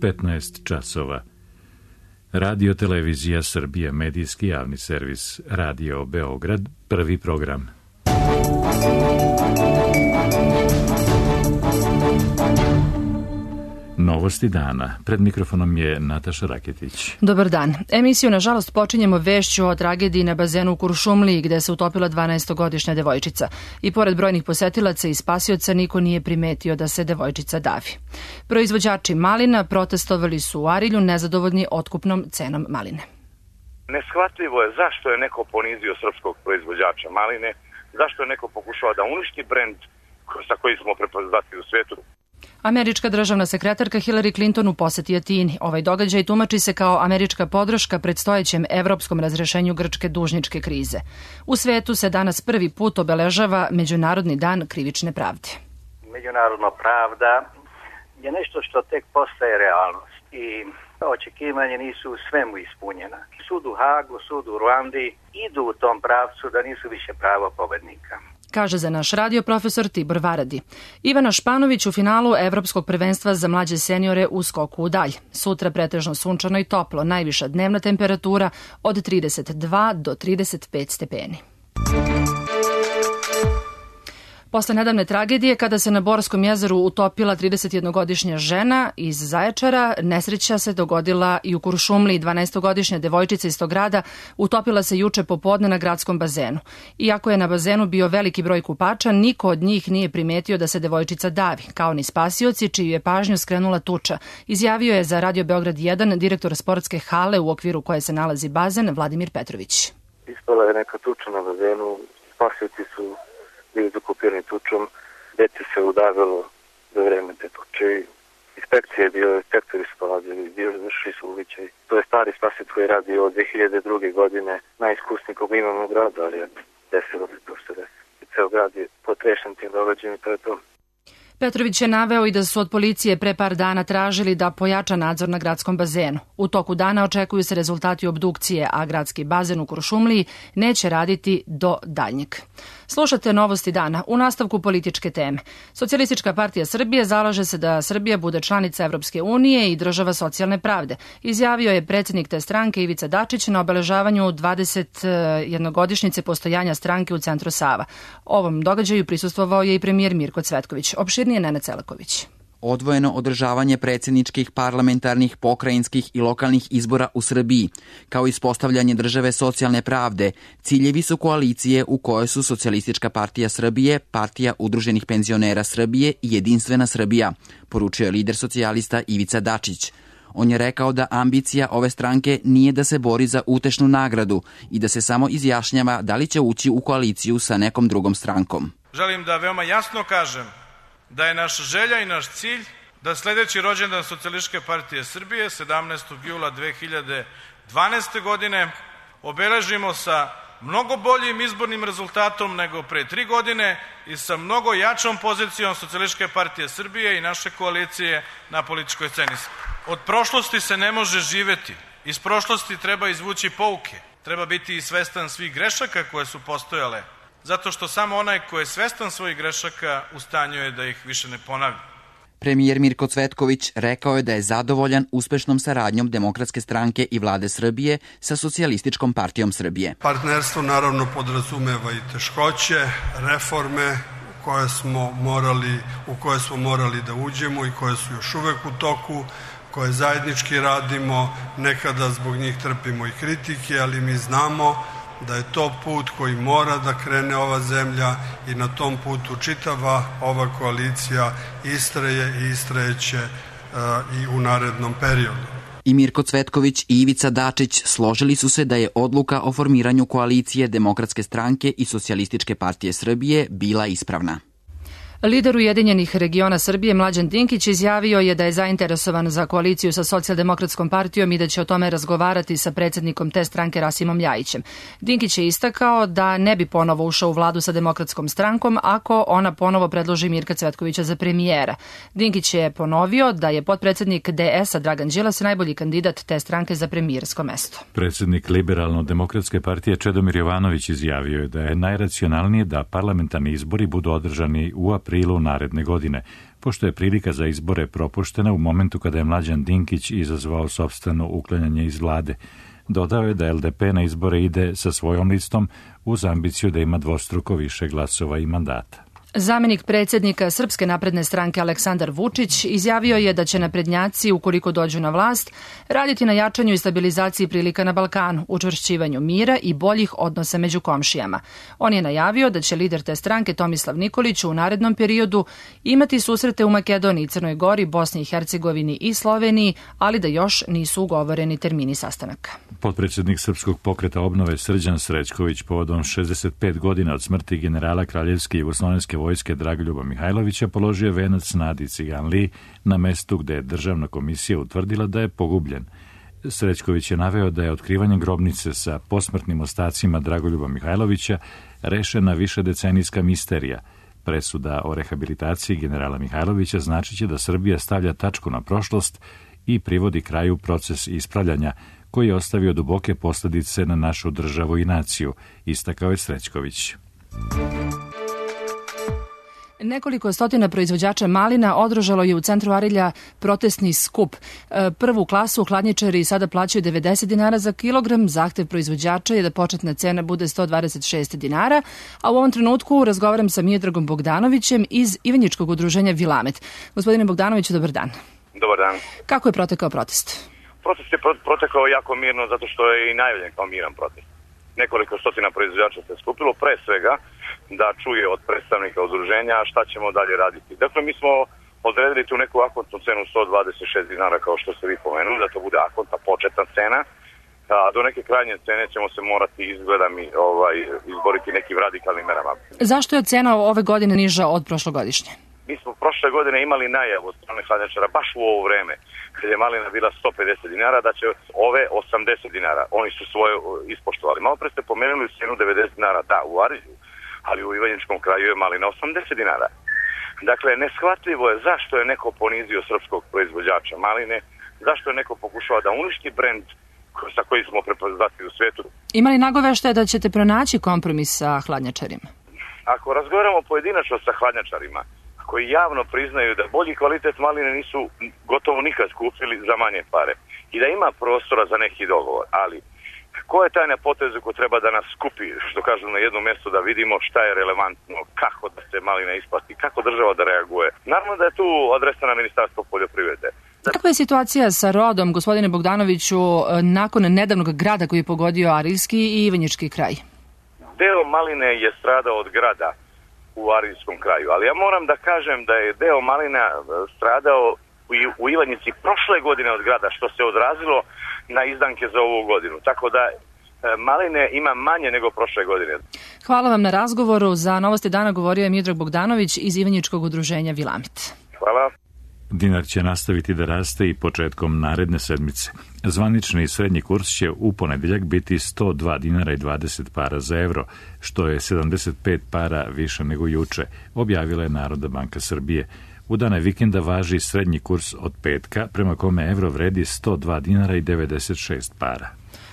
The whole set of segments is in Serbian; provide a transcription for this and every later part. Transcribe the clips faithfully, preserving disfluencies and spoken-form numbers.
petnaest časova. Radio Televizija Srbija, medijski javni servis, Radio Beograd, prvi program. Novosti dana. Pred mikrofonom je Nataša Raketić. Dobar dan. Emisiju, nažalost, počinjemo vešću o tragediji na bazenu u Kuršumliji, gde se utopila dvanaestogodišnja devojčica. I pored brojnih posetilaca i spasioca, niko nije primetio da se devojčica davi. Proizvođači malina protestovali su u Arilju nezadovoljni otkupnom cenom maline. Neshvatljivo je zašto je neko ponizio srpskog proizvođača maline, zašto je neko pokušao da uništi brend sa kojim smo prepoznati u svijetu. Američka državna sekretarka Hillary Clinton u poseti Atini. Ovaj događaj tumači se kao američka podrška predstojećem evropskom razrešenju grčke dužničke krize. U svetu se danas prvi put obeležava Međunarodni dan krivične pravde. Međunarodna pravda je nešto što tek postaje realnost i očekivanje nisu u svemu ispunjena. Sud u Hagu, sud u Ruandi idu u tom pravcu da nisu više pravo pobednika. Kaže za naš radio profesor Tibor Varadi. Ivana Španović u finalu Evropskog prvenstva za mlađe seniore u skoku u dalj. Sutra pretežno sunčano i toplo, najviša dnevna temperatura od trideset dva do trideset pet stepeni. Posle nedavne tragedije, kada se na Borskom jezeru utopila tridesetjednogodišnja žena iz Zaječara, nesreća se dogodila i u Kuršumliji. dvanaestogodišnja devojčica iz tog grada utopila se juče popodne na gradskom bazenu. Iako je na bazenu bio veliki broj kupača, niko od njih nije primetio da se devojčica davi, kao ni spasioci čiju je pažnju skrenula tuča. Izjavio je za Radio Beograd jedan direktor sportske hale u okviru koje se nalazi bazen Vladimir Petrović. Ispala je neka tuča na bazenu, spasioci su bili zakupirani tučom, dete se udavilo za vreme te tuče. Inspekcija je bio, inspektori su dolazili, bio završili su uvićaj. To je stari spasioc koji radi od dve hiljade druge. godine, najiskusniji koga imamo u gradu, ali je desilo se to što desi. Ceo grad je potrešen tim događajem i to je to. Petrović je naveo i da su od policije pre par dana tražili da pojača nadzor na gradskom bazenu. U toku dana očekuju se rezultati obdukcije, a gradski bazen u Kuršumliji neće raditi do daljnjeg. Slušate Novosti dana. U nastavku političke teme. Socijalistička partija Srbije zalaže se da Srbija bude članica Evropske unije i država socijalne pravde. Izjavio je predsjednik te stranke Ivica Dačić na obeležavanju dvadesetjednogodišnjice postojanja stranke u centru Sava. Ovom događaju prisustvovao je i premijer Mirko Cvetković. Opširnije Nena Celaković. Odvojeno održavanje predsjedničkih, parlamentarnih, pokrajinskih i lokalnih izbora u Srbiji, kao i ispostavljanje države socijalne pravde, ciljevi su koalicije u kojoj su Socijalistička partija Srbije, Partija udruženih penzionera Srbije i Jedinstvena Srbija, poručio je lider socijalista Ivica Dačić. On je rekao da ambicija ove stranke nije da se bori za utešnu nagradu i da se samo izjašnjava da li će ući u koaliciju sa nekom drugom strankom. Želim da veoma jasno kažem da je naša želja i naš cilj da sljedeći rođendan Socijalističke partije Srbije, sedamnaestog jula dve hiljade dvanaeste. godine, obeležimo sa mnogo boljim izbornim rezultatom nego pre tri godine i sa mnogo jačom pozicijom Socijalističke partije Srbije i naše koalicije na političkoj sceni. Od prošlosti se ne može živeti. Iz prošlosti treba izvući pouke. Treba biti i svestan svih grešaka koje su postojale, zato što samo onaj ko je svestan svojih grešaka u stanju je da ih više ne ponavlja. Premijer Mirko Cvetković rekao je da je zadovoljan uspešnom saradnjom Demokratske stranke i vlade Srbije sa Socijalističkom partijom Srbije. Partnerstvo naravno podrazumeva i teškoće, reforme u koje smo morali, u koje smo morali da uđemo i koje su još uvek u toku, koje zajednički radimo, nekada zbog njih trpimo i kritike, ali mi znamo da je to put koji mora da krene ova zemlja i na tom putu čitava ova koalicija istraje i istrajeće uh, i u narednom periodu. I Mirko Cvetković i Ivica Dačić složili su se da je odluka o formiranju koalicije Demokratske stranke i Socijalističke partije Srbije bila ispravna. Lider Ujedinjenih regiona Srbije Mlađan Dinkić izjavio je da je zainteresovan za koaliciju sa Socijaldemokratskom partijom i da će o tome razgovarati sa predsjednikom te stranke Rasimom Ljajićem. Dinkić je istakao da ne bi ponovo ušao u vladu sa Demokratskom strankom ako ona ponovo predloži Mirka Cvetkovića za premijera. Dinkić je ponovio da je potpredsjednik D S-a Dragan Đilas najbolji kandidat te stranke za premijersko mesto. Predsjednik Liberalno-demokratske partije Čedomir Jovanović izjavio je da je najracionalnije da parlamentarni izbori budu održani u aprilu aprilu naredne godine, pošto je prilika za izbore propuštena u momentu kada je Mlađan Dinkić izazvao sopstveno uklanjanje iz vlade. Dodao je da L D P na izbore ide sa svojom listom uz ambiciju da ima dvostruko više glasova i mandata. Zamenik predsjednika Srpske napredne stranke Aleksandar Vučić izjavio je da će naprednjaci, ukoliko dođu na vlast, raditi na jačanju i stabilizaciji prilika na Balkanu, učvršćivanju mira i boljih odnosa među komšijama. On je najavio da će lider te stranke Tomislav Nikolić u narednom periodu imati susrete u Makedoniji, Crnoj Gori, Bosni i Hercegovini i Sloveniji, ali da još nisu ugovoreni termini sastanaka. Potpredsjednik Srpskog pokreta obnove Srđan Srećković povodom šezdeset pet godina od smrti generala Kraljevske jugoslovenske vojske Dragoljuba Mihajlovića položio venac Nadi Ciganliji na mestu gde je državna komisija utvrdila da je pogubljen. Srećković je naveo da je otkrivanje grobnice sa posmrtnim ostacima Dragoljuba Mihajlovića rešena višedecenijska misterija. Presuda o rehabilitaciji generala Mihajlovića značiće da Srbija stavlja tačku na prošlost i privodi kraju proces ispravljanja koji je ostavio duboke posljedice na našu državu i naciju, istakao je Srećković. Nekoliko stotina proizvođača malina održalo je u centru Arilja protestni skup. Prvu klasu hladnjačari sada plaćaju devedeset dinara za kilogram. Zahtev proizvođača je da početna cena bude sto dvadeset šest dinara, a u ovom trenutku razgovaram sa Miodragom Bogdanovićem iz Ivanjičkog udruženja Vilamet. Gospodine Bogdanoviću, dobar dan. Dobar dan. Kako je protekao protest? Protest je protekao jako mirno zato što je i najavljen kao miran protest. Nekoliko stotina proizvođača se skupilo, pre svega da čuje od predstavnika udruženja šta ćemo dalje raditi. Dakle, mi smo odredili tu neku akontnu cenu sto dvadeset šest dinara, kao što ste vi pomenuli, da to bude akontna početna cena, a do neke krajnje cene ćemo se morati izgleda mi ovaj, izboriti nekim radikalnim merama. Zašto je cena ove godine niža od prošlogodišnje? Mi smo prošle godine imali najavu od strane hladnjačara baš u ovo vreme, kad je malina bila sto pedeset dinara, da će ove osamdeset dinara. Oni su svoje ispoštovali. Malo pre ste pomenuli cenu devedeset dinara, da, u Arilju, ali u Ivanjičkom kraju je malina osamdeset dinara. Dakle, neshvatljivo je zašto je neko ponizio srpskog proizvođača maline, zašto je neko pokušao da uništi brend sa kojim smo prepoznati u svijetu. Ima li nagoveštaje da ćete pronaći kompromis sa hladnjačarima? Ako razgovaramo pojedinačno sa hladnjačarima, koji javno priznaju da bolji kvalitet maline nisu gotovo nikad kupili za manje pare i da ima prostora za neki dogovor, ali ko je taj na potezu ko treba da nas skupi, što kažu, na jedno mjesto da vidimo šta je relevantno, kako da se malina isplati, kako država da reaguje. Naravno da je tu adresa na Ministarstvo poljoprivrede. Kakva je situacija sa rodom, gospodine Bogdanoviću, nakon nedavnog grada koji je pogodio Arilski i Ivanjički kraj? Deo maline je stradao od grada u Arilskom kraju, ali ja moram da kažem da je deo malina stradao u Ivanjici prošle godine od grada, što se odrazilo na izdanke za ovu godinu. Tako da maline ima manje nego prošle godine. Hvala vam na razgovoru. Za Novosti dana govorio je Miodrag Bogdanović iz Ivanjičkog udruženja Vilamet. Hvala. Dinar će nastaviti da raste i početkom naredne sedmice. Zvanični srednji kurs će u ponedeljak biti sto dva dinara i dvadeset para za evro, što je sedamdeset pet para više nego juče, objavila je Narodna banka Srbije. U dane vikenda važi srednji kurs od petka, prema kome evro vredi sto dva dinara i devedeset šest para.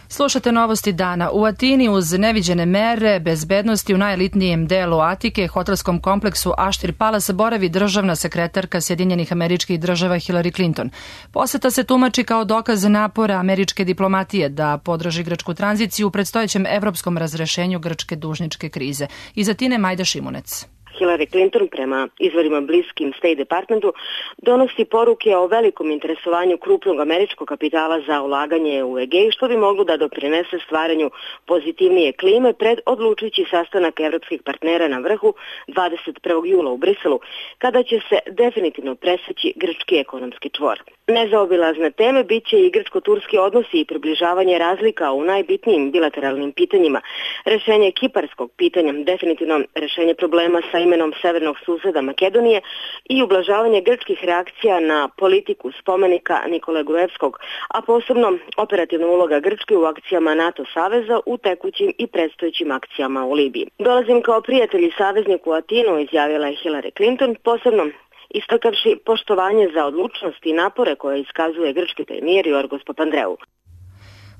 Slušate Novosti dana. U Atini uz neviđene mere bezbednosti u najelitnijem delu Atike, hotelskom kompleksu Ashtir Palace, boravi državna sekretarka Sjedinjenih Američkih Država Hillary Clinton. Poseta se tumači kao dokaz napora američke diplomatije da podrži grčku tranziciju u predstojećem evropskom razrešenju grčke dužničke krize. Iz Atine Majda Šimunec. Hillary Clinton, prema izvorima bliskim State Departmentu, donosi poruke o velikom interesovanju krupnog američkog kapitala za ulaganje u Egej, što bi moglo da doprinese stvaranju pozitivnije klime pred odlučujući sastanak evropskih partnera na vrhu dvadeset prvog jula u Briselu, kada će se definitivno preseći grčki ekonomski čvor. Nezaobilazne teme bit će i grčko-turski odnosi i približavanje razlika u najbitnijim bilateralnim pitanjima, rešenje kiparskog pitanja, definitivno rešenje problema sa imenom severnog suseda Makedonije i ublažavanje grčkih reakcija na politiku spomenika Nikole Gruevskog, a posebno operativna uloga Grčke u akcijama NATO saveza u tekućim i predstojećim akcijama u Libiji. Dolazim kao prijatelj i saveznik u Atinu, izjavila je Hillary Clinton, posebno istakavši poštovanje za odlučnost i napore koje iskazuje grčki premijer Jorgos Papandreou.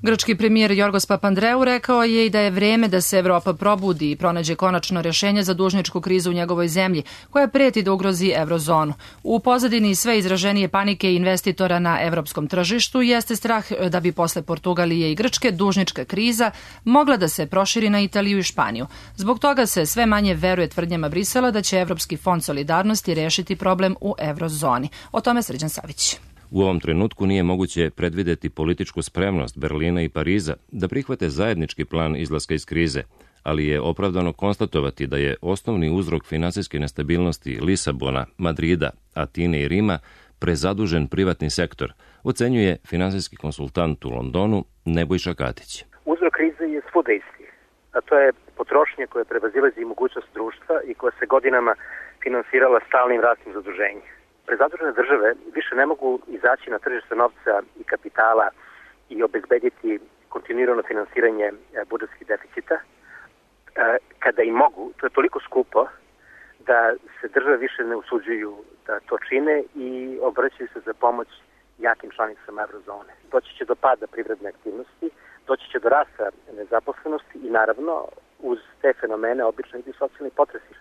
Grčki premijer Jorgos Papandreou rekao je i da je vreme da se Evropa probudi i pronađe konačno rješenje za dužničku krizu u njegovoj zemlji, koja preti da ugrozi eurozonu. U pozadini sve izraženije panike investitora na evropskom tržištu jeste strah da bi posle Portugalije i Grčke dužnička kriza mogla da se proširi na Italiju i Španiju. Zbog toga se sve manje veruje tvrdnjama Brisela da će Evropski fond solidarnosti rešiti problem u eurozoni. O tome Srđan Savić. U ovom trenutku nije moguće predvideti političku spremnost Berlina i Pariza da prihvate zajednički plan izlaska iz krize, ali je opravdano konstatovati da je osnovni uzrok finansijske nestabilnosti Lisabona, Madrida, Atine i Rima prezadužen privatni sektor, ocenjuje finansijski konsultant u Londonu Nebojša Katić. Uzrok krize je svuda isti, a to je potrošnja koja prevazilazi mogućnost društva i koja se godinama finansirala stalnim rastim zaduženjem. Prezadužene države više ne mogu izaći na tržište novca i kapitala i obezbediti kontinuirano finansiranje budžetskih deficita. Kada i mogu, to je toliko skupo da se države više ne usuđuju da to čine i obraćaju se za pomoć jakim članicama eurozone. Doći će do pada privredne aktivnosti, doći će do rasta nezaposlenosti i naravno uz te fenomene obično idu socijalni potresi.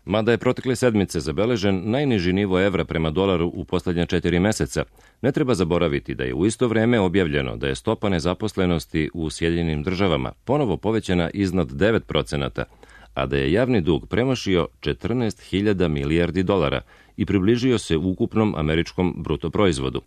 Mada je protekle sedmice zabeležen najniži nivo evra prema dolaru u posljednja četiri meseca, ne treba zaboraviti da je u isto vreme objavljeno da je stopa nezaposlenosti u Sjedinjenim državama ponovo povećana iznad devet procenata, a da je javni dug premašio četrnaest hiljada milijardi dolara i približio se ukupnom američkom bruto proizvodu.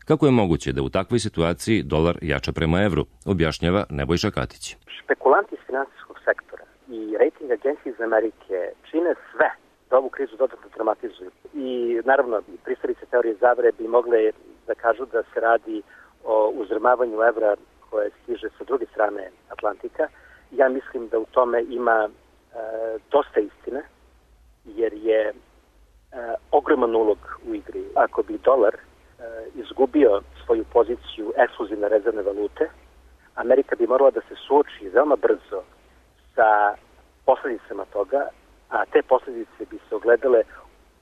Kako je moguće da u takvoj situaciji dolar jača prema evru, objašnjava Nebojša Katić. Špekulanti iz finansijskog sektora i rating agencije iz Amerike čine sve da ovu krizu dodatno dramatizuju. I naravno, pristalice teorije zavere bi mogle da kažu da se radi o uzrmavanju evra koje stiže sa druge strane Atlantika. Ja mislim da u tome ima e, dosta istine, jer je e, ogroman ulog u igri. Ako bi dolar e, izgubio svoju poziciju ekskluzivne rezervne valute, Amerika bi morala da se suoči veoma brzo sa posljedicama toga, a te posljedice bi se ogledale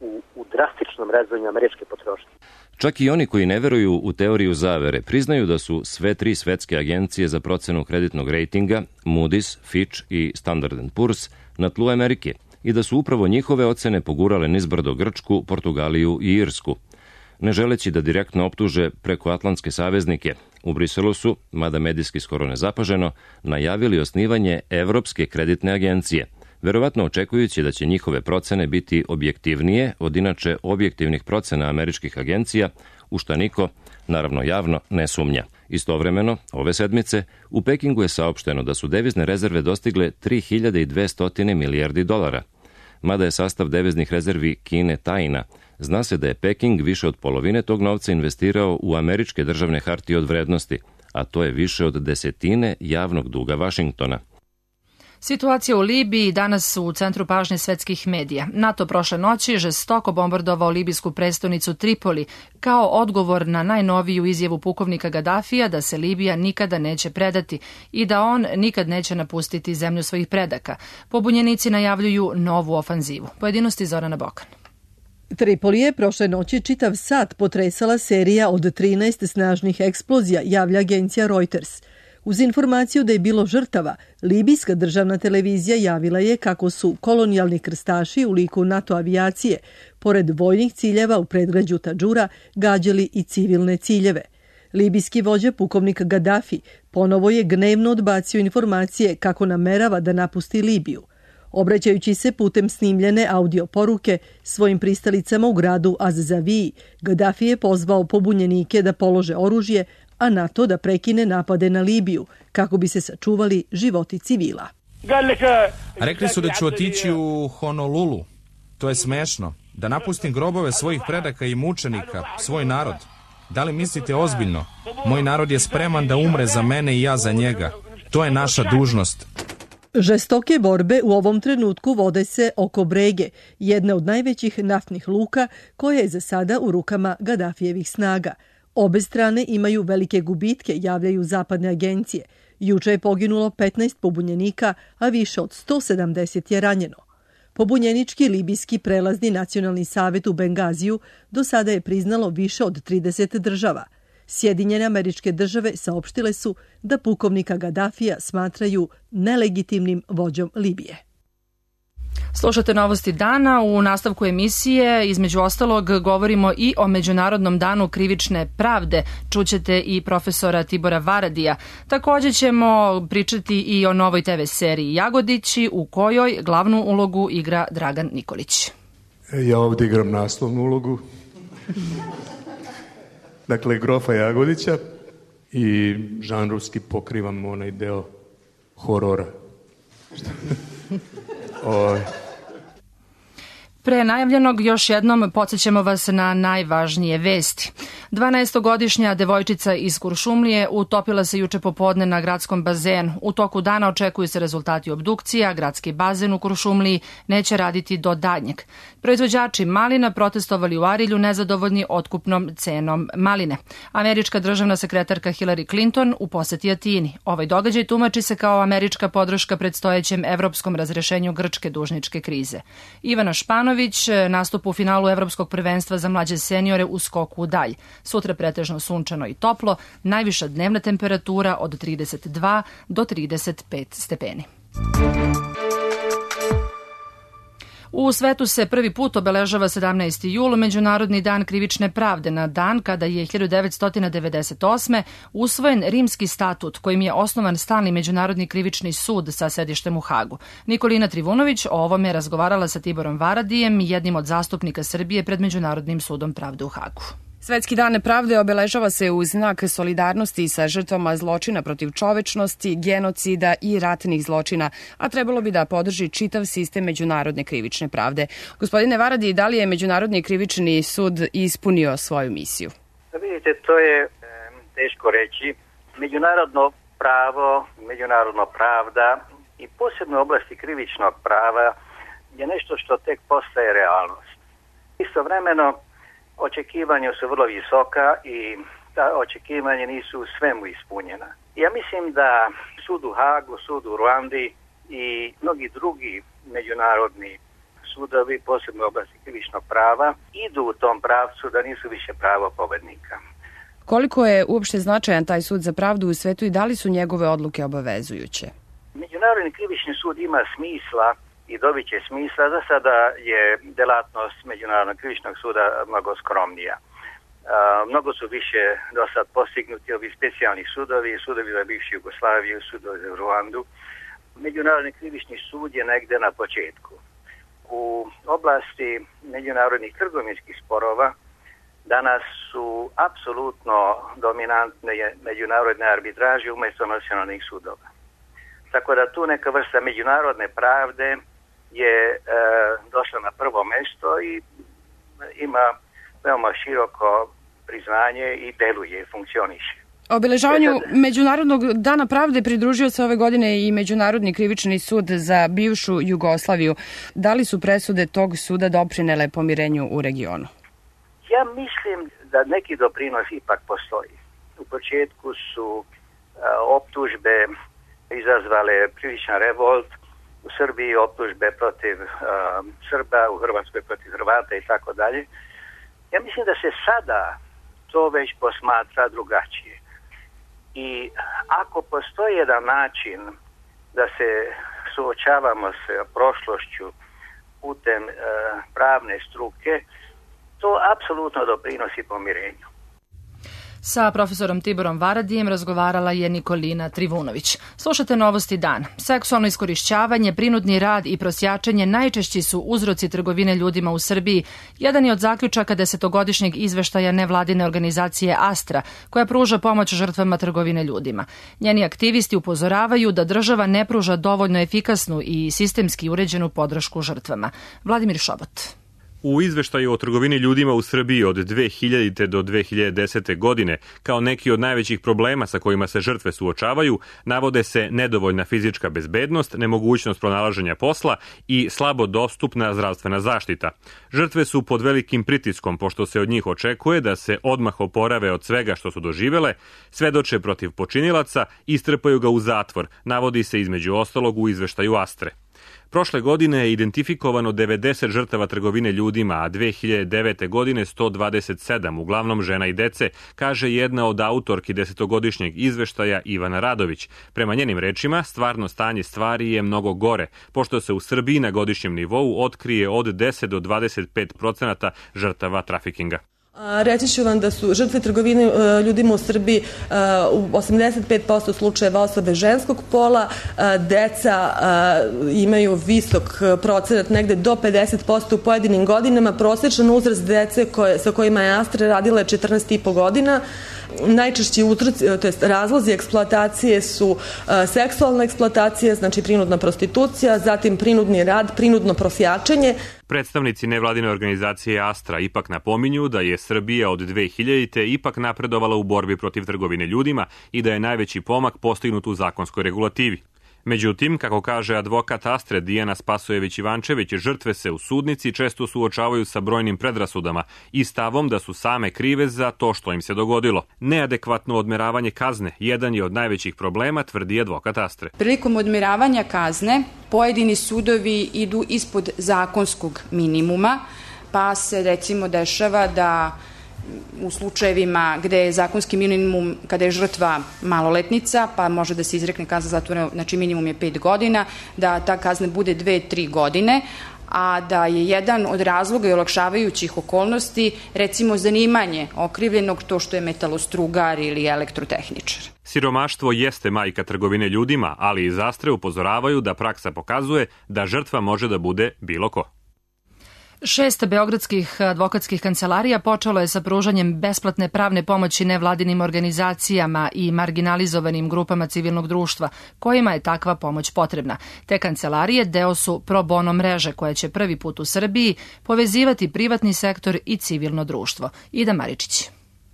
u, u drastičnom rezanju američke potrošnje. Čak i oni koji ne veruju u teoriju zavere priznaju da su sve tri svetske agencije za procenu kreditnog rejtinga, Moody's, Fitch i Standard and Poor's, na tlu Amerike i da su upravo njihove ocene pogurale nizbrdo Grčku, Portugaliju i Irsku. Ne želeći da direktno optuže prekoatlantske saveznike, u Briselu su, mada medijski skoro nezapaženo, najavili osnivanje Evropske kreditne agencije, verovatno očekujući da će njihove procene biti objektivnije od inače objektivnih procena američkih agencija, u šta niko, naravno javno, ne sumnja. Istovremeno, ove sedmice, u Pekingu je saopšteno da su devizne rezerve dostigle tri hiljade dvesta milijardi dolara. Mada je sastav deviznih rezervi Kine tajna, zna se da je Peking više od polovine tog novca investirao u američke državne hartije od vrednosti, a to je više od desetine javnog duga Vašingtona. Situacija u Libiji danas u centru pažnje svetskih medija. NATO prošle noći žestoko bombardovao libijsku prestonicu Tripoli kao odgovor na najnoviju izjavu pukovnika Gadafija da se Libija nikada neće predati i da on nikad neće napustiti zemlju svojih predaka. Pobunjenici najavljuju novu ofanzivu. Pojedinosti Zorana Bokan. Tripoli je prošle noći čitav sat potresala serija od trinaest snažnih eksplozija, javlja agencija Reuters. Uz informaciju da je bilo žrtava, libijska državna televizija javila je kako su kolonijalni krstaši u liku NATO avijacije, pored vojnih ciljeva u predgrađu Tadžura, gađali i civilne ciljeve. Libijski vođa pukovnik Gaddafi ponovo je gnevno odbacio informacije kako namerava da napusti Libiju. Obraćajući se putem snimljene audio poruke svojim pristalicama u gradu Az-Zaviji, Gaddafi je pozvao pobunjenike da polože oružje, a NATO da prekine napade na Libiju, kako bi se sačuvali životi civila. Rekli su da ću otići u Honolulu. To je smešno. Da napustim grobove svojih predaka i mučenika, svoj narod. Da li mislite ozbiljno? Moj narod je spreman da umre za mene i ja za njega. To je naša dužnost. Žestoke borbe u ovom trenutku vode se oko Brege, jedne od najvećih naftnih luka koja je za sada u rukama Gaddafijevih snaga. Obe strane imaju velike gubitke, javljaju zapadne agencije. Juče je poginulo petnaest pobunjenika, a više od sto sedamdeset je ranjeno. Pobunjenički libijski prelazni nacionalni savjet u Bengaziju do sada je priznalo više od trideset država. Sjedinjene Američke Države saopštile su da pukovnika Gadafija smatraju nelegitimnim vođom Libije. Slušate Novosti dana. U nastavku emisije, između ostalog, govorimo i o Međunarodnom danu krivične pravde. Čućete i profesora Tibora Varadija. Također ćemo pričati i o novoj te ve seriji Jagodići, u kojoj glavnu ulogu igra Dragan Nikolić. Ja ovdje igram naslovnu ulogu. Dakle, grofa Jagodića i žanrovski pokrivam onaj deo horora. Oj. Pre najavljenog još jednom podsjećamo vas na najvažnije vesti. dvanaestogodišnja devojčica iz Kuršumlije utopila se juče popodne na gradskom bazenu. U toku dana očekuju se rezultati obdukcija, gradski bazen u Kuršumliji neće raditi do daljnjeg. Proizvođači malina protestovali u Arilju nezadovoljni otkupnom cenom maline. Američka državna sekretarka Hillary Clinton u poseti Atini. Ovaj događaj tumači se kao američka podrška predstojećem evropskom razrešenju grčke dužničke krize. Ivana Španović nastup u finalu Evropskog prvenstva za mlađe seniore u skoku u dalj. Sutra pretežno sunčano i toplo, najviša dnevna temperatura od trideset dva do trideset pet stepeni. U svetu se prvi put obeležava sedamnaesti jul, Međunarodni dan krivične pravde, na dan kada je hiljadu devetsto devedeset osme. usvojen Rimski statut kojim je osnovan stalni Međunarodni krivični sud sa sedištem u Hagu. Nikolina Trivunović o ovome je razgovarala sa Tiborom Varadijem, jednim od zastupnika Srbije pred Međunarodnim sudom pravde u Hagu. Svetski dan pravde obeležava se u znak solidarnosti sa žrtvama zločina protiv čovečnosti, genocida i ratnih zločina, a trebalo bi da podrži čitav sistem međunarodne krivične pravde. Gospodine Varadi, da li je Međunarodni krivični sud ispunio svoju misiju? Vidite, to je e, teško reći. Međunarodno pravo, međunarodna pravda i posebno oblasti krivičnog prava je nešto što tek postaje realnost. Istovremeno, očekivanja su vrlo visoka i ta očekivanja nisu u svemu ispunjena. Ja mislim da sud u Hagu, sud u Ruandi i mnogi drugi međunarodni sudovi, posebno u oblasti krivičnog prava, idu u tom pravcu da nisu više pravo pobednika. Koliko je uopšte značajan taj sud za pravdu u svetu i da li su njegove odluke obavezujuće? Međunarodni krivični sud ima smisla i dobit će smisla. Za sada je delatnost Međunarodnog krivičnog suda mnogo skromnija. Uh, mnogo su više do sad postignuti ovi specijalni sudovi, sudovi za bivšu Jugoslaviju, sudovi za Ruandu. Međunarodni krivični sud je negde na početku. U oblasti međunarodnih trgovinskih sporova danas su apsolutno dominantne međunarodne arbitraže umjesto nacionalnih sudova. Tako da tu neka vrsta međunarodne pravde je e, došla na prvo mjesto i ima veoma široko priznanje i deluje i funkcioniše. Obeležavanju Međunarodnog dana pravde pridružio se ove godine i Međunarodni krivični sud za bivšu Jugoslaviju. Da li su presude tog suda doprinele pomirenju u regionu? Ja mislim da neki doprinos ipak postoji. U početku su e, optužbe izazvale priličan revolt, u Srbiji optužbe protiv uh, Srba, u Hrvatskoj protiv Hrvata i tako dalje. Ja mislim da se sada to već posmatra drugačije. I ako postoji jedan način da se suočavamo s prošlošću putem uh, pravne struke, to apsolutno doprinosi pomirenju. Sa profesorom Tiborom Varadijem razgovarala je Nikolina Trivunović. Slušate Novosti dan. Seksualno iskorišćavanje, prinudni rad i prosjačenje najčešći su uzroci trgovine ljudima u Srbiji. Jedan je od zaključaka desetogodišnjeg izveštaja nevladine organizacije Astra, koja pruža pomoć žrtvama trgovine ljudima. Njeni aktivisti upozoravaju da država ne pruža dovoljno efikasnu i sistemski uređenu podršku žrtvama. Vladimir Šobot. U izveštaju o trgovini ljudima u Srbiji od dve hiljadite do dve hiljade desete. godine, kao neki od najvećih problema sa kojima se žrtve suočavaju, navode se nedovoljna fizička bezbednost, nemogućnost pronalaženja posla i slabo dostupna zdravstvena zaštita. Žrtve su pod velikim pritiskom, pošto se od njih očekuje da se odmah oporave od svega što su doživele, svedoče protiv počinilaca i strpaju ga u zatvor, navodi se između ostalog u izveštaju Astre. Prošle godine je identifikovano devedeset žrtava trgovine ljudima, a dve hiljade devete. godine sto dvadeset sedam, uglavnom žena i dece, kaže jedna od autorki desetogodišnjeg izveštaja Ivana Radović. Prema njenim rečima, stvarno stanje stvari je mnogo gore, pošto se u Srbiji na godišnjem nivou otkrije od deset do dvadeset pet procenata žrtava trafikinga. Reći ću vam da su žrtve trgovine ljudima u Srbiji u osamdeset pet posto slučajeva osobe ženskog pola, deca imaju visok procenat, negde do pedeset posto u pojedinim godinama, prosječan uzrast dece koje, sa kojima je Astra radila je četrnaest i po godina. Najčešći uzroci, to jest razlozi eksploatacije su uh, seksualna eksploatacija, znači prinudna prostitucija, zatim prinudni rad, prinudno prosjačenje. Predstavnici nevladine organizacije Astra ipak napominju da je Srbija od dve hiljadite. ipak napredovala u borbi protiv trgovine ljudima i da je najveći pomak postignut u zakonskoj regulativi. Međutim, kako kaže advokat Astre Dijana Spasojević-Ivančević, žrtve se u sudnici često suočavaju sa brojnim predrasudama i stavom da su same krive za to što im se dogodilo. Neadekvatno odmeravanje kazne jedan je od najvećih problema, tvrdi advokat Astre. Prilikom odmeravanja kazne pojedini sudovi idu ispod zakonskog minimuma, pa se recimo dešava da u slučajevima gde je zakonski minimum kada je žrtva maloletnica, pa može da se izrekne kazna zatvora, znači minimum je pet godina, da ta kazna bude dve, tri godine, a da je jedan od razloga i olakšavajućih okolnosti recimo zanimanje okrivljenog, to što je metalostrugar ili elektrotehničar. Siromaštvo jeste majka trgovine ljudima, ali iz Astre upozoravaju da praksa pokazuje da žrtva može da bude bilo ko. Šest beogradskih advokatskih kancelarija počelo je sa pružanjem besplatne pravne pomoći nevladinim organizacijama i marginalizovanim grupama civilnog društva, kojima je takva pomoć potrebna. Te kancelarije deo su pro bono mreže koja će prvi put u Srbiji povezivati privatni sektor i civilno društvo. Ida Maričić.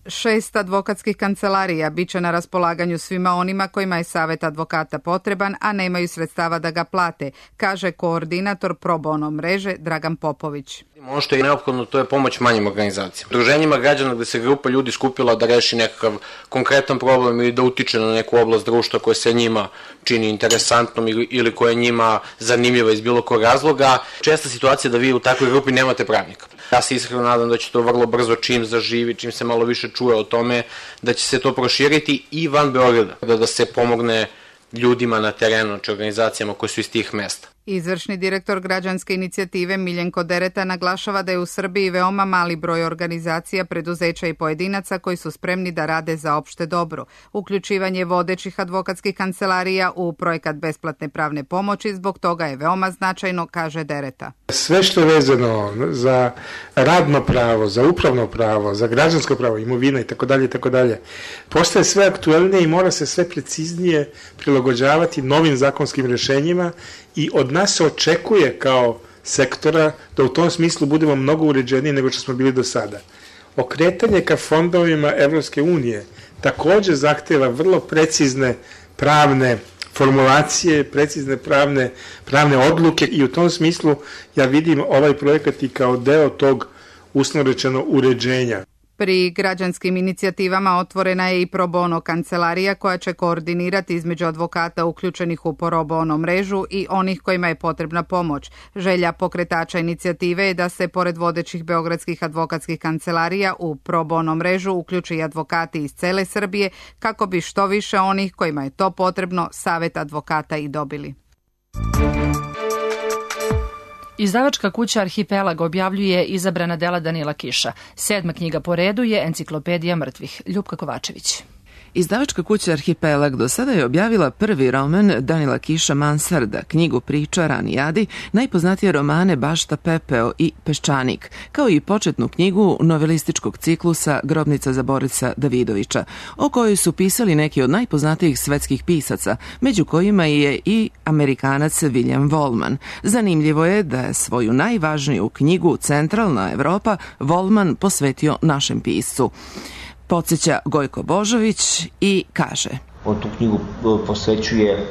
Šest advokatskih kancelarija biće na raspolaganju svima onima kojima je savet advokata potreban, a nemaju sredstava da ga plate, kaže koordinator pro bono mreže Dragan Popović. Ono što je neophodno, to je pomoć manjim organizacijama. Udruženjima građana gde se grupa ljudi skupila da reši nekakav konkretan problem ili da utiče na neku oblast društva koja se njima čini interesantnom ili, ili koja je njima zanimljiva iz bilo kog razloga. Česta situacija da vi u takvoj grupi nemate pravnika. Ja se iskreno nadam da će to vrlo brzo, čim zaživi, čim se malo više čuje o tome, da će se to proširiti i van Beograda, da, da se pomogne ljudima na terenu, znači organizacijama koje su iz tih mesta. Izvršni direktor građanske inicijative Miljenko Dereta naglašava da je u Srbiji veoma mali broj organizacija, preduzeća i pojedinaca koji su spremni da rade za opšte dobro. Uključivanje vodećih advokatskih kancelarija u projekat besplatne pravne pomoći zbog toga je veoma značajno, kaže Dereta. Sve što je vezano za radno pravo, za upravno pravo, za građansko pravo, imovina i tako dalje i tako dalje, postaje sve aktuelnije i mora se sve preciznije prilagođavati novim zakonskim rešenjima i od nas se očekuje kao sektora da u tom smislu budemo mnogo uređeniji nego što smo bili do sada. Okretanje ka fondovima Evropske unije takođe zahteva vrlo precizne pravne formulacije, precizne pravne, pravne odluke i u tom smislu ja vidim ovaj projekat i kao deo tog uslovno rečeno uređenja. Pri građanskim inicijativama otvorena je i pro bono kancelarija koja će koordinirati između advokata uključenih u pro bono mrežu i onih kojima je potrebna pomoć. Želja pokretača inicijative je da se pored vodećih beogradskih advokatskih kancelarija u pro bono mrežu uključi i advokati iz cele Srbije kako bi što više onih kojima je to potrebno savet advokata i dobili. Izdavačka kuća Arhipelag objavljuje izabrana dela Danila Kiša. Sedma knjiga po redu je Enciklopedija mrtvih. Ljupka Kovačević. Izdavačka kuća Arhipelag do sada je objavila prvi roman Danila Kiša Mansarda, knjigu priča Ranijadi, najpoznatije romane Bašta Pepeo i Peščanik, kao i početnu knjigu novelističkog ciklusa Grobnica za Borisa Davidovića, o kojoj su pisali neki od najpoznatijih svetskih pisaca, među kojima je i Amerikanac William Wallman. Zanimljivo je da je svoju najvažniju knjigu Centralna Evropa Wallman posvetio našem piscu. Podsjeća Gojko Božović i kaže: On tu knjigu posvećuje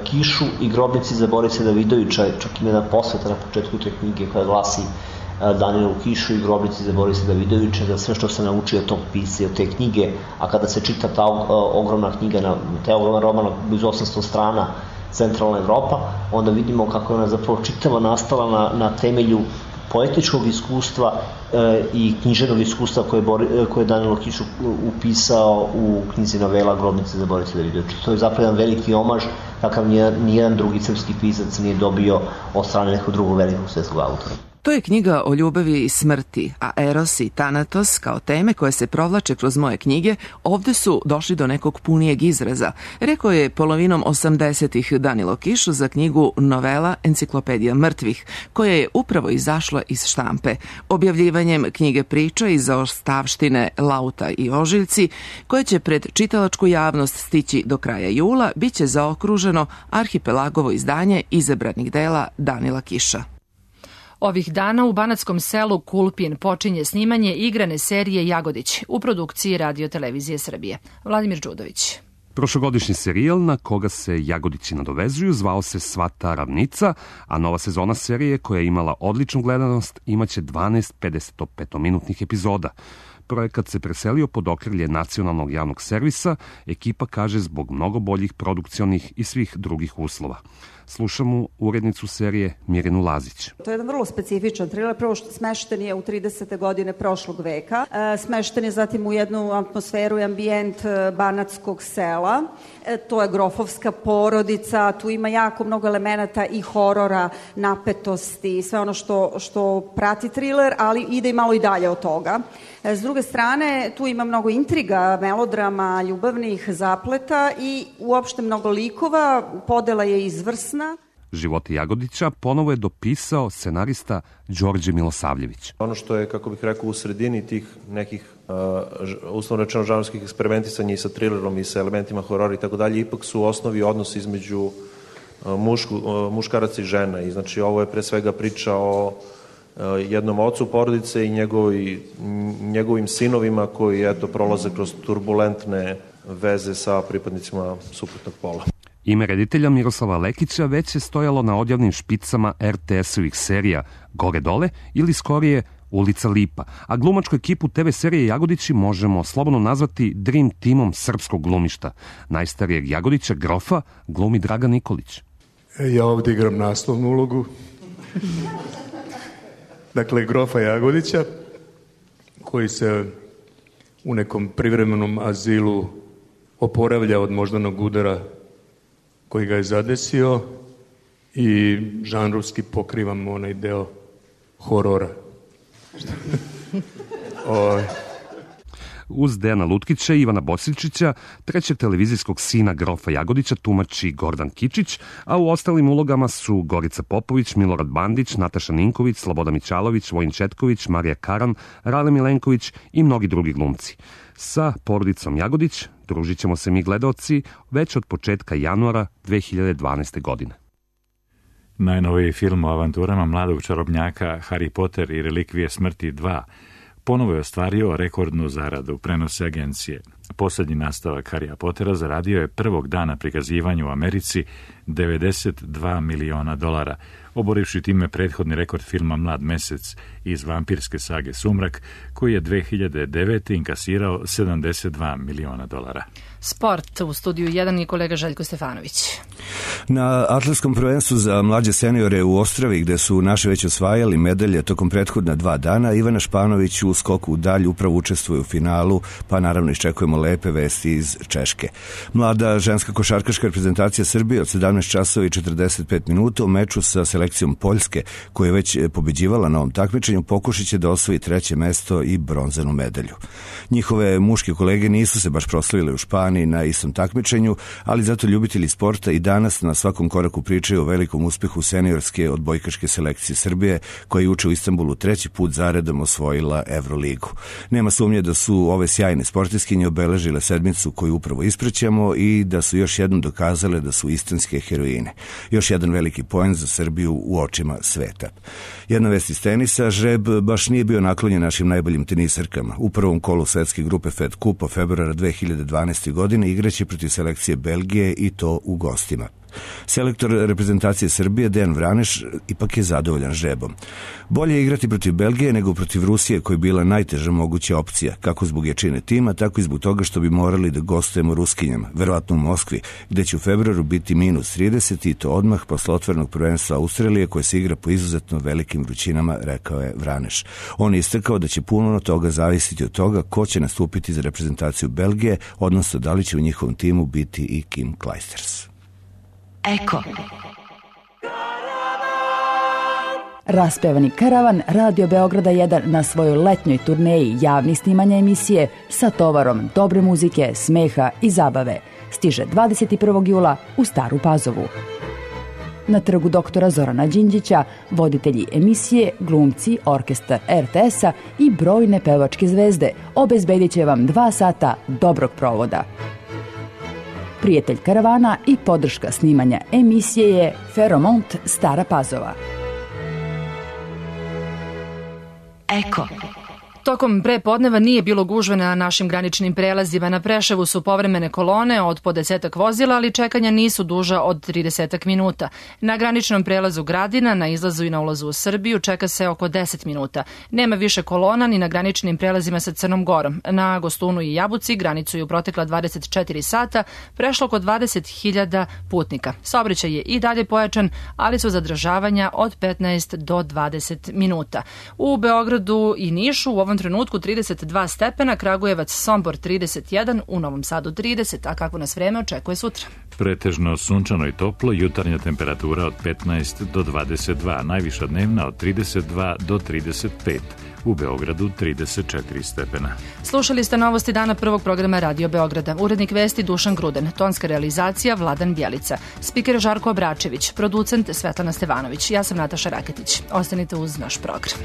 Kišu i Grobnici za Borisa Davidovića, čak ima jedna posveta na početku te knjige koja glasi Danilu Kišu i Grobnici za Borisa Davidovića, za sve što se naučio od tog pisca i od te knjige, a kada se čita ta ogromna knjiga, taj ogroman roman blizu osamsto strana, centralna Evropa, onda vidimo kako je ona zapravo čitava nastala na, na temelju poetičkog iskustva e, i književnog iskustva koje, Bori, koje je Danilo Kiš upisao u knjizi novela Grobnice za Borića Davidovića. To je zapravo jedan veliki omaž kakav nijedan drugi srpski pisac nije dobio od strane nekog drugog velikog svetskog autora. To je knjiga o ljubavi i smrti, a Eros i Thanatos kao teme koje se provlače kroz moje knjige ovde su došli do nekog punijeg izraza, rekao je polovinom osamdesetih Danilo Kiš za knjigu novela Enciklopedija mrtvih, koja je upravo izašla iz štampe. Objavljivanjem knjige priča iz zaostavštine Lauta i Ožiljci, koje će pred čitalačku javnost stići do kraja jula, bit će zaokruženo arhipelagovo izdanje izabranih dela Danila Kiša. Ovih dana u banatskom selu Kulpin počinje snimanje igrane serije Jagodić u produkciji Radio Televizije Srbije. Vladimir Đudović. Prošlogodišnji serijal na koga se Jagodići nadovezuju zvao se Svata ravnica, a nova sezona serije koja je imala odličnu gledanost imaće dvanaest pedesetopetominutnih epizoda. Projekat se preselio pod okrilje nacionalnog javnog servisa, ekipa kaže zbog mnogo boljih produkcionih i svih drugih uslova. Slušamo urednicu serije Mirjanu Lazić. To je jedan vrlo specifičan thriller, prvo što smešten je u tridesete godine prošlog veka, e, smešten je zatim u jednu atmosferu i ambijent banatskog sela, e, to je grofovska porodica, tu ima jako mnogo elemenata i horora, napetosti, sve ono što, što prati thriller, ali ide i malo i dalje od toga. E, s druge strane, tu ima mnogo intriga, melodrama, ljubavnih zapleta i uopšte mnogo likova, podela je izvrsna. Živote Jagodića ponovo je dopisao scenarista Đorđe Milosavljević. Ono što je, kako bih rekao, u sredini tih nekih uh, uslovno rečeno žanrskih eksperimentisanja i sa thrillerom i sa elementima horora i tako dalje, ipak su u osnovi odnos između uh, mušku, uh, muškaraca i žena. I znači ovo je pre svega priča o uh, jednom ocu porodice i njegovi, njegovim sinovima koji eto prolaze kroz turbulentne veze sa pripadnicima suprotnog pola. Ime reditelja Miroslava Lekića već je stojalo na odjavnim špicama er te esovih serija Gore dole ili skorije Ulica Lipa, a glumačku ekipu te ve serije Jagodići možemo slobodno nazvati Dream Teamom srpskog glumišta. Najstarijeg Jagodića, grofa, glumi Dragan Nikolić. Ja ovdje igram naslovnu ulogu. Dakle, grofa Jagodića, koji se u nekom privremenom azilu oporavlja od moždanog udara koji ga je zadesio i žanrovski pokrivam onaj deo horora. o... Uz Dejana Lutkića i Ivana Bosičića, trećeg televizijskog sina grofa Jagodića tumači Gordan Kičić, a u ostalim ulogama su Gorica Popović, Milorad Bandić, Nataša Ninković, Sloboda Mićalović, Vojin Četković, Marija Karan, Rale Milenković i mnogi drugi glumci. Sa porodicom Jagodić družit ćemo se mi gledaoci već od početka januara dve hiljade dvanaeste. godine. Najnoviji film o avanturama mladog čarobnjaka Harry Potter i relikvije smrti dva ponovo je ostvario rekordnu zaradu, prenose agencije. Poslednji nastavak Harrya Pottera zaradio je prvog dana prikazivanja u Americi devedeset dva miliona dolara, oborivši time prethodni rekord filma Mlad mesec iz vampirske sage Sumrak, koji je dve hiljade devete. inkasirao sedamdeset dva miliona dolara. Sport u studiju jedan i kolega Željko Stefanović. Na atletskom prvenstvu za mlađe seniore u Ostravi, gde su naše već osvajali medalje tokom prethodna dva dana, Ivana Španović u skoku u dalj upravo učestvuje u finalu, pa naravno iščekujemo lepe vesti iz Češke. Mlada ženska košarkaška reprezentacija Srbije od sedamnaest časova i četrdeset pet minuta u meču sa selekcijom Poljske, koja je već pobeđivala na ovom takmičenju, pokušat će da osvoji treće mesto i bronzanu medalju. Njihove muške kolege nisu se baš proslavile u Španiji na istom takmičenju, ali zato ljubitelji sporta i danas na svakom koraku pričaju o velikom uspehu seniorske odbojkaške selekcije Srbije, koja je juče u Istanbulu treći put zaredom osvojila Evroligu. Nema sumnje da su ove sjajne sportiskinje obeležile sedmicu koju upravo isprećamo i da su još jednom dokazale da su istinske heroine. Još jedan veliki poen za Srbiju u očima sveta. Jedna vest iz tenisa, žreb baš nije bio naklonjen našim najboljim tenisarkama. U prvom kolu svetske grupe Fed Kupa februara dve hiljade dvanaeste. godine igraće protiv selekcije Belgije i to u gostima. Selektor reprezentacije Srbije Dejan Vraneš ipak je zadovoljan žrebom. Bolje je igrati protiv Belgije nego protiv Rusije, koja je bila najteža moguća opcija, kako zbog jačine tima, tako i zbog toga što bi morali da gostujemo Ruskinjama, verovatno u Moskvi, gde će u februaru biti minus trideset i to odmah posle otvorenog prvenstva Australije koje se igra po izuzetno velikim vrućinama, rekao je Vraneš. On je istakao da će puno toga zavisiti od toga ko će nastupiti za reprezentaciju Belgije, odnosno da li će u njihovom timu biti i Kim Clijsters. Eko. Raspevani karavan Radio Beograda jedan na svojoj letnjoj turneji javnih snimanja emisije sa tovarom dobre muzike, smeha i zabave stiže dvadeset prvog jula u Staru Pazovu. Na trgu doktora Zorana Đinđića voditelji emisije, glumci, orkestar er te es-a i brojne pevačke zvezde obezbedit će vam dva sata dobrog provoda. Prijatelj karavana i podrška snimanja emisije je Feromont Stara Pazova. Eko. Tokom prepodneva nije bilo gužve na našim graničnim prelazima. Na Preševu su povremene kolone od po desetak vozila, ali čekanja nisu duža od trideset minuta. Na graničnom prelazu Gradina, na izlazu i na ulazu u Srbiju, čeka se oko deset minuta. Nema više kolona ni na graničnim prelazima sa Crnom Gorom. Na Gostunu i Jabuci granicu je u protekla dvadeset četiri sata prešlo oko dvadeset hiljada putnika. Saobraćaj je i dalje pojačan, ali su zadržavanja od petnaest do dvadeset minuta. U Beogradu i Nišu u ovom trenutku trideset dva stepena, Kragujevac, Sombor trideset jedan, u Novom Sadu trideset, a kako nas vreme očekuje sutra? Pretežno sunčano i toplo, jutarnja temperatura od petnaest do dvadeset dva, najviša dnevna od trideset dva do trideset pet. U Beogradu trideset četiri stepena. Slušali ste novosti dana prvog programa Radio Beograda. Urednik vesti Dušan Gruden, tonska realizacija Vladan Bjelica, spiker Žarko Obračević, producent Svetlana Stevanović. Ja sam Nataša Raketić. Ostanite uz naš program.